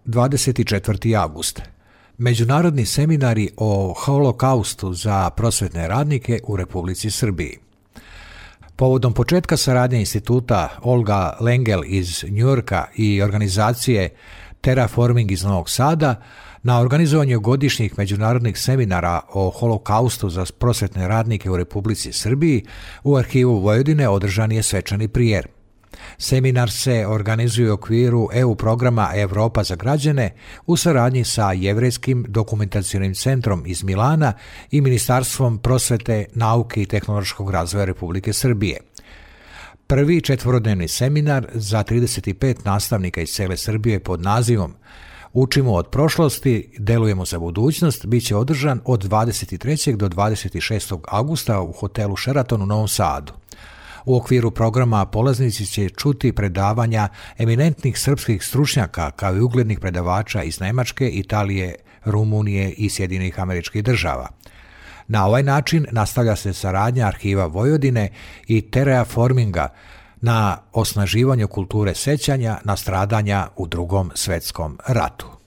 24. avgust. Međunarodni seminari o holokaustu za prosvetne radnike u Republici Srbiji. Povodom početka saradnje instituta Olga Lengel iz Njujorka i organizacije Terraforming iz Novog Sada na organizovanju godišnjih međunarodnih seminara o holokaustu za prosvetne radnike u Republici Srbiji u Arhivu Vojvodine održan je svečani prijer. Seminar se organizuje u okviru EU programa Evropa za građane u saradnji sa Jevrejskim dokumentacionim centrom iz Milana i Ministarstvom prosvete, nauke i tehnološkog razvoja Republike Srbije. Prvi četvorodnevni seminar za 35 nastavnika iz cele Srbije pod nazivom Učimo od prošlosti, delujemo za budućnost bit će održan od 23. do 26. avgusta u hotelu Sheraton u Novom Sadu. U okviru programa polaznici će čuti predavanja eminentnih srpskih stručnjaka kao i uglednih predavača iz Nemačke, Italije, Rumunije i Sjedinjenih Američkih Država. Na ovaj način nastavlja se saradnja Arhiva Vojvodine i Terraforminga na osnaživanju kulture sećanja na stradanja u Drugom svetskom ratu.